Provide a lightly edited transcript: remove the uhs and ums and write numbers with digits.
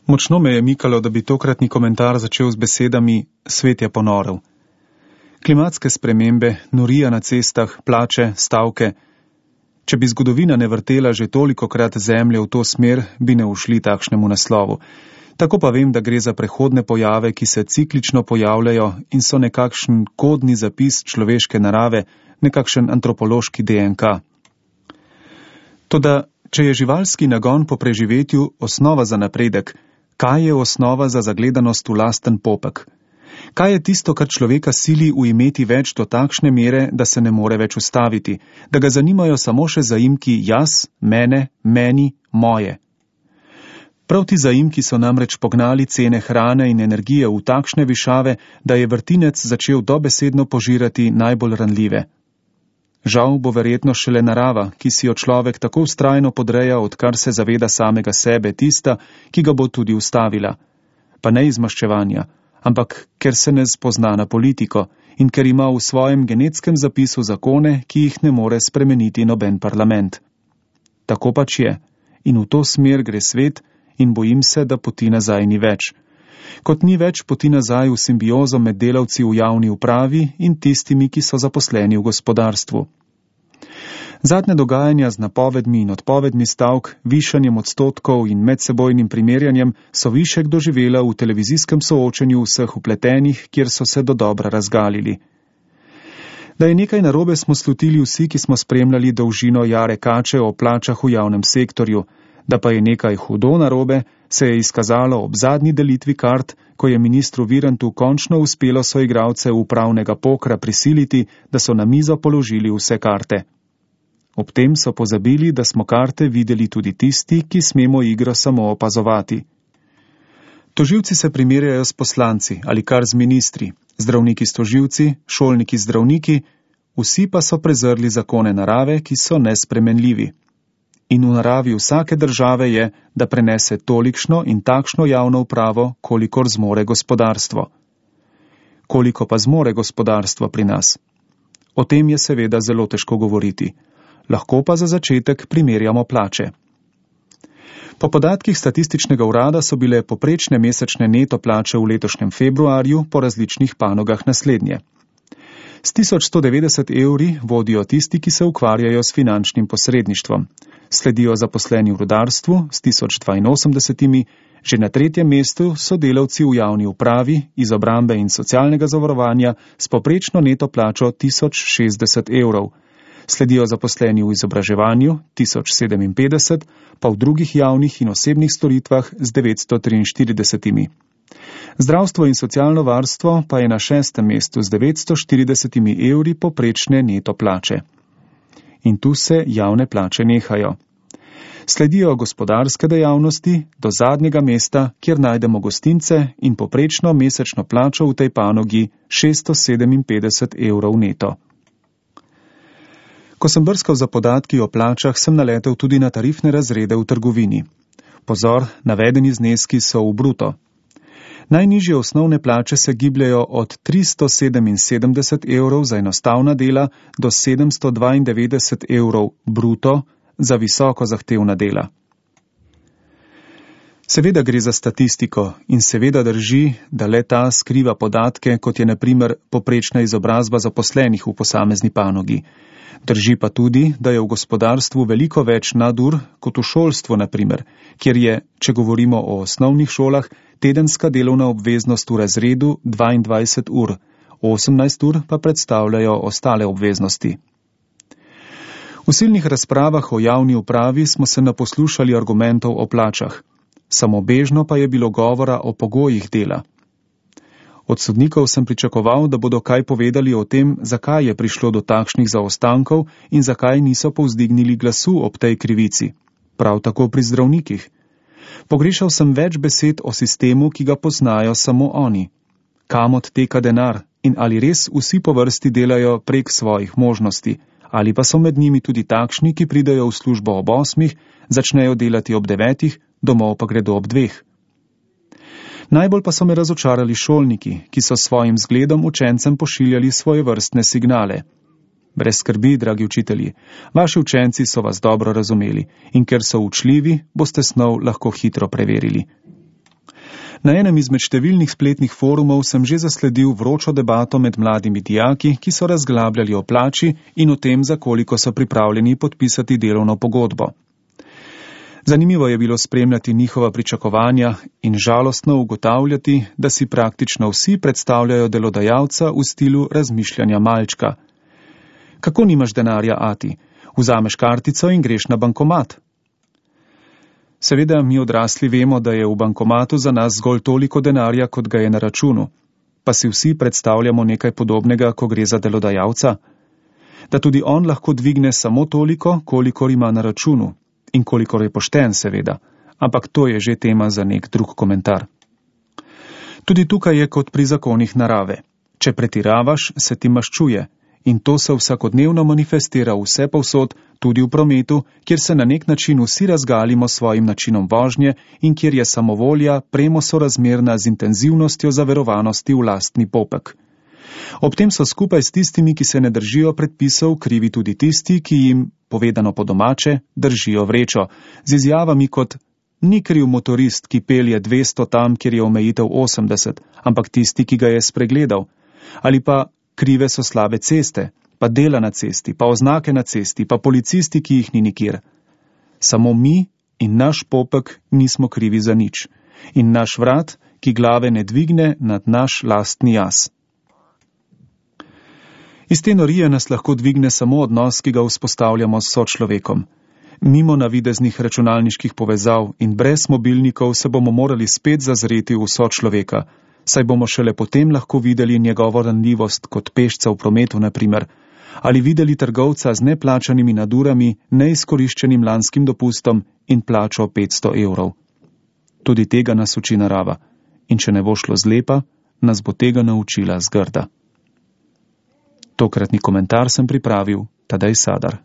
Močno me je mikalo, da bi tokratni komentar začel z besedami "svet je ponorel". Klimatske spremembe, norija na cestah, plače, stavke. Če bi zgodovina ne vrtela že tolikokrat zemlje v to smer, bi ne ušli takšnemu naslovu. Tako pa vem, da gre za prehodne pojave, ki se ciklično pojavljajo in so nekakšen kodni zapis človeške narave, nekakšen antropološki DNK. Toda, če je živalski nagon po preživetju osnova za napredek, kaj je osnova za zagledanost v lasten popek? Kaj je tisto, kar človeka sili ujmeti več do takšne mere, da se ne more več ustaviti, da ga zanimajo samo še zaimki jaz, mene, meni, moje? Prav ti zaimki so namreč pognali cene hrane in energije v takšne višave, da je vrtinec začel dobesedno požirati najbolj ranljive. Žal bo verjetno šele narava, ki si jo človek tako vztrajno podreja, odkar se zaveda samega sebe, tista, ki ga bo tudi ustavila. Pa ne iz maščevanja, ampak ker se ne spozna na politiko in ker ima v svojem genetskem zapisu zakone, ki jih ne more spremeniti noben parlament. Tako pač je. In v to smer gre svet in bojim se, da poti nazaj ni več. Kot ni več poti nazaj v simbiozo med delavci v javni upravi in tistimi, ki so zaposleni v gospodarstvu. Zadnje dogajanja z napovedmi in odpovedmi stavk, višanjem odstotkov in medsebojnim primerjanjem so višek doživela v televizijskem soočenju vseh vpletenih, kjer so se dodobra razgalili. Da je nekaj narobe, smo slutili vsi, ki smo spremljali dolžino jare kače o plačah v javnem sektorju. Da pa je nekaj hudo narobe, se je izkazalo ob zadnji delitvi kart, ko je ministru Virantu končno uspelo soigralce upravnega pokra prisiliti, da so na mizo položili vse karte. Ob tem so pozabili, da smo karte videli tudi tisti, ki smemo igro samo opazovati. Tožilci se primerjajo s poslanci ali kar z ministri, zdravniki s tožilci, šolniki z zdravniki, vsi pa so prezrli zakone narave, ki so nespremenljivi. In v naravi vsake države je, da prenese tolikšno in takšno javno upravo, kolikor zmore gospodarstvo. Koliko pa zmore gospodarstvo pri nas? O tem je seveda zelo težko govoriti. Lahko pa za začetek primerjamo plače. Po podatkih statističnega urada so bile poprečne mesečne neto plače v letošnjem februarju po različnih panogah naslednje. S 1190 evri vodijo tisti, ki se ukvarjajo s finančnim posredništvom. Sledijo zaposleni v rudarstvu s 1082, že na tretjem mestu so delavci v javni upravi, iz obrambe in socialnega zavarovanja s poprečno neto plačo 1060 evrov. Sledijo zaposleni v izobraževanju 1057, pa v drugih javnih in osebnih storitvah z 943. Zdravstvo in socialno varstvo pa je na 6. mestu z 940 evri poprečne neto plače. In tu se javne plače nehajo. Sledijo gospodarske dejavnosti do zadnjega mesta, kjer najdemo gostince in poprečno mesečno plačo v tej panogi 657 evrov neto. Ko sem brskal za podatki o plačah, sem naletel tudi na tarifne razrede v trgovini. Pozor, navedeni zneski so v bruto. Najnižje osnovne plače se gibljajo od 377 evrov za enostavna dela do 792 evrov bruto za visoko zahtevna dela. Seveda gre za statistiko in seveda drži, da le ta skriva podatke, kot je na primer poprečna izobrazba zaposlenih v posamezni panogi. Drži pa tudi, da je v gospodarstvu veliko več nadur kot v šolstvu, na primer, kjer je, če govorimo o osnovnih šolah, tedenska delovna obveznost v razredu 22 ur, 18 ur pa predstavljajo ostale obveznosti. V silnih razpravah o javni upravi smo se naposlušali argumentov o plačah. Samobežno pa je bilo govora o pogojih dela. Od sodnikov sem pričakoval, da bodo kaj povedali o tem, zakaj je prišlo do takšnih zaostankov in zakaj niso povzdignili glasu ob tej krivici. Prav tako pri zdravnikih. Pogrešal sem več besed o sistemu, ki ga poznajo samo oni. Kam odteka denar in ali res vsi po vrsti delajo prek svojih možnosti, ali pa so med njimi tudi takšni, ki pridejo v službo ob 8, začnejo delati ob 9, domov pa gredo ob 2. Najbolj pa so me razočarali šolniki, ki so svojim zgledom učencem pošiljali svojevrstne signale. Brez skrbi, dragi učitelji, vaši učenci so vas dobro razumeli in ker so učljivi, boste snov lahko hitro preverili. Na enem izmed številnih spletnih forumov sem že zasledil vročo debato med mladimi dijaki, ki so razglabljali o plači in o tem, za koliko so pripravljeni podpisati delovno pogodbo. Zanimivo je bilo spremljati njihova pričakovanja in žalostno ugotavljati, da si praktično vsi predstavljajo delodajalca v stilu razmišljanja malčka. Kako nimaš denarja, ati? Vzameš kartico in greš na bankomat. Seveda mi odrasli vemo, da je v bankomatu za nas zgolj toliko denarja, kot ga je na računu. Pa si vsi predstavljamo nekaj podobnega, ko gre za delodajalca? Da tudi on lahko dvigne samo toliko, kolikor ima na računu. In kolikor je pošten, seveda. Ampak to je že tema za nek drug komentar. Tudi tukaj je kot pri zakonih narave. Če pretiravaš, se ti maščuje. In to se vsakodnevno manifestira vse povsod, tudi v prometu, kjer se na nek način vsi razgalimo s svojim načinom vožnje in kjer je samovolja premo sorazmerna z intenzivnostjo zaverovanosti v lastni popek. Ob tem so skupaj s tistimi, ki se ne držijo predpisov, krivi tudi tisti, ki jim, povedano po domače, držijo vrečo, z izjavami kot: ni kriv motorist, ki pelje 200 tam, kjer je omejitev 80, ampak tisti, ki ga je spregledal. Ali pa: krive so slabe ceste, pa dela na cesti, pa oznake na cesti, pa policisti, ki jih ni nikjer. Samo mi in naš popek nismo krivi za nič. In naš vrat, ki glave ne dvigne nad naš lastni jaz. Iz te norije nas lahko dvigne samo odnos, ki ga vzpostavljamo s sočlovekom. Mimo navideznih računalniških povezav in brez mobilnikov se bomo morali spet zazreti v sočloveka, saj bomo šele potem lahko videli njegovo ranljivost kot pešca v prometu, na primer, ali videli trgovca z neplačanimi nadurami, neizkoriščenim lanskim dopustom in plačo 500 evrov. Tudi tega nas uči narava. In če ne bo šlo zlepa, nas bo tega naučila zgrda. Tokratni komentar sem pripravil Tadej Sadar.